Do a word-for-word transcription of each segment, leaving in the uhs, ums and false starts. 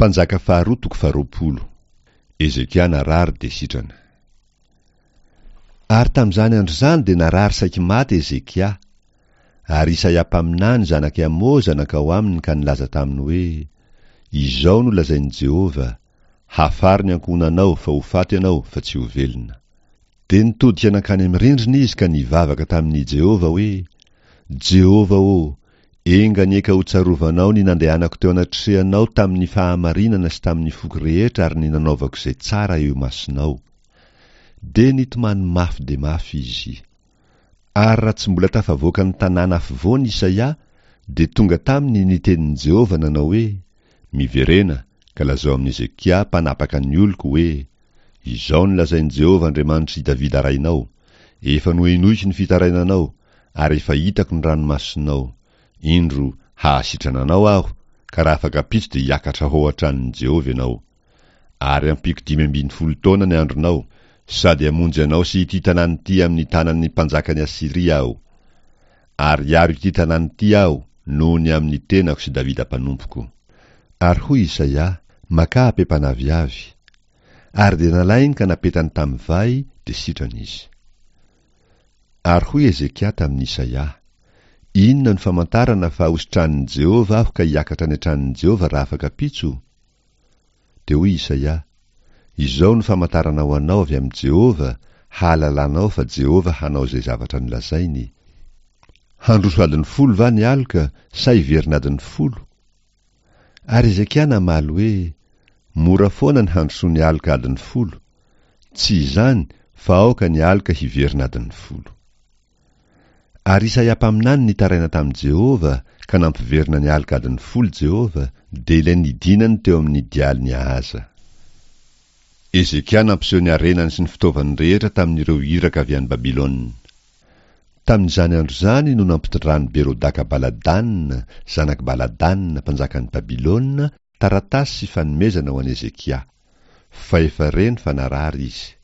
Mpanjaka faharoa toko faharoapolo. Hezekia narary dia sitrana. Ary tamin'izany andro izany dia narary saiky maty Hezekia. Ary Isaia mpaminany zanak'i Amoza nankao aminy ka nilaza taminy hoe, Izao no lazain'i Jehovah, Hafaro ny ankohonanao fa ho faty ianao fa tsy ho velona. Dia nitodika nankany amin'ny rindrina izy ka nivavaka tamin'i Jehovah hoe, Jehovah ô, enga anie ka hotsarovanao ny nandehanako teo anatrehanao tamin'ny fahamarinana sy tamin'ny foko rehetra ary ny nanaovako izay tsara eo imasonao. Dia nitomany mafy dia mafy izy. Ary raha tsy mbola tafavoaka ny tanàna afovoany Isaia, dia tonga taminy ny tenin'i Jehovah nanao hoe, Miverena, ka lazao amin'i Hezekia mpanapaka ny oloko hoe, Izao no lazain'i Jehovah Andriamanitr'i Davida rainao, Efa nohenoiko ny fitarainanao, ary efa hitako ny ranomasonao. Indro, hahasitrana anao Aho, ka raha afaka ampitso dia hiakatra ho ao an-tranon'i Jehovah ianao. Ary hampiako dimy ambin'ny folo taona ny andronao, sady hamonjy anao sy ity tanàna ity amin'ny tanan'ny mpanjakan'i Asyria Aho. Ary hiaro ity tanàna ity Aho noho ny amin'ny tenako sy Davida mpanompoko. Ary hoy Isaia, Makà apepan'aviavy. Ary dia nalainy ka napetany tamin'ny vay, dia sitrana izy. Ary hoy Hezekia tamin'i Isaia, Inona no famantarana fa hositranin'i Jehovah aho ka hiakatra any an-tranon'i Jehovah raha afaka ampitso? Dia hoy Isaia, Izao no famantarana ho anao avy amin'i Jehovah, hahalalanao fa Jehovah hanao izay zavatra nolazainy. Handroso adiny folo va ny aloka sa hiverina adiny folo? Ary Hezekia namaly hoe, Mora foana ny handrosoan'ny aloka adiny folo. Tsy izany fa aoka ny aloka hiverina adiny folo. Ary Isaia mpaminany nitaraina tamin'i Jehovah, ka nampiverina ny aloka adiny folo Jehovah, dia ilay nidinany teo amin'ny dialin'i Ahaza. Hezekia nampiseho ny harenany sy ny fitaovany rehetra tamin'ireo iraka avy any Babylona. Tamin'izany andro izany no nampitondran'i Berodaka Baladana, zanak'i Baladana, mpanjakan'i Babylona, taratasy sy fanomezana ho an'i Hezekia. Fa efa reny fa narary izy.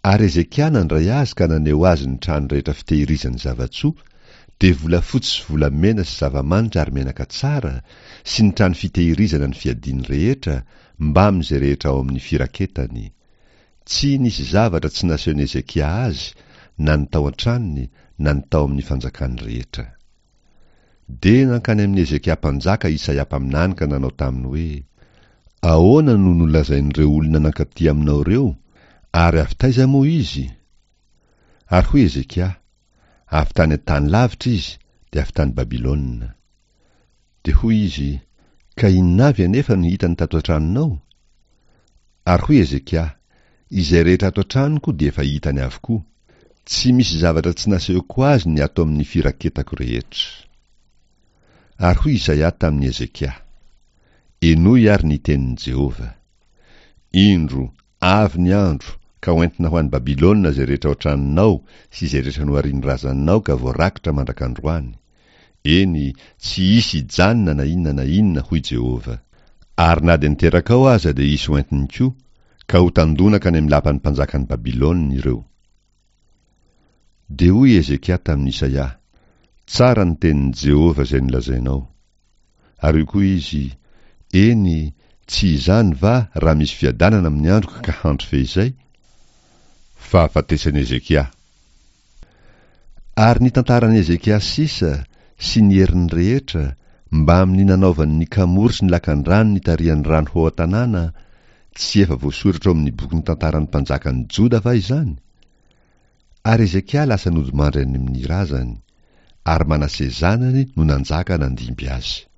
Ary Hezekia nandray azy ka naneho azy ny trano rehetra fitehirizany zava-tsoa, dia volafotsy sy volamena sy zava-manitra ary menaka tsara, sy ny trano fitehirizana ny fiadiany rehetra, mbamin'izay rehetra ao amin'ny firaketany. Tsy nisy zavatra tsy nasehon'i Hezekia azy, na ny tao an-tranony, na ny tao amin'ny fanjakany rehetra. Dia nankany amin'i Hezekia mpanjaka Isaia mpaminany ka nanao taminy hoe, Ahoana no nolazain'ireo olona nankaty aminao ireo, ary avy taiza moa izy? Ary hoy Hezekia, Avy tany an-tany lavitra izy, dia avy tany Babylona. Dia hoy izy, Ka inona avy anefa no hitany tato an-tranonao? Ary hoy Hezekia, Izay rehetra ato an-tranoko dia efa hitany avokoa. Tsy misy zavatra tsy nasehoko azy ny ato amin'ny firaketako rehetra. Ary hoy Isaia tamin'i Hezekia, Henoy àry ny tenin'i Jehovah. Indro, avy ny andro, ka hoentina ho any Babylona izay rehetra ao an-tranonao sy izay rehetra noharin'ny razanao ka voarakitra mandrak'androany. Eny, tsy hisy hijanona na inona na inona, hoy Jehovah. Ary na dia ny terakao aza dia hisy hoentiny koa, ka ho tandonaka any amin'ny lapan'ny mpanjakan'i Babylona ireo. Dia hoy Hezekia tamin'i Isaia, Tsara ny tenin'i Jehovah izay nolazainao. Ary hoy koa izy, Eny, tsy izany va raha misy fiadanana amin'ny androko ka handry feizay? Fahafatesan'i Hezekia. Ary ny tantaran'i Hezekia sisa, sy ny heriny rehetra, mbamin'ny nanaovany ny kamory sy ny lakandrano nitarihany rano ho ao an-tanàna, tsy efa voasoratra ao amin'ny bokin'ny tantaran'ny mpanjakan'i Joda va izany? Ary Hezekia lasa nodimandry any amin'ny razany, ary Manase zanany no nanjaka nandimby azy.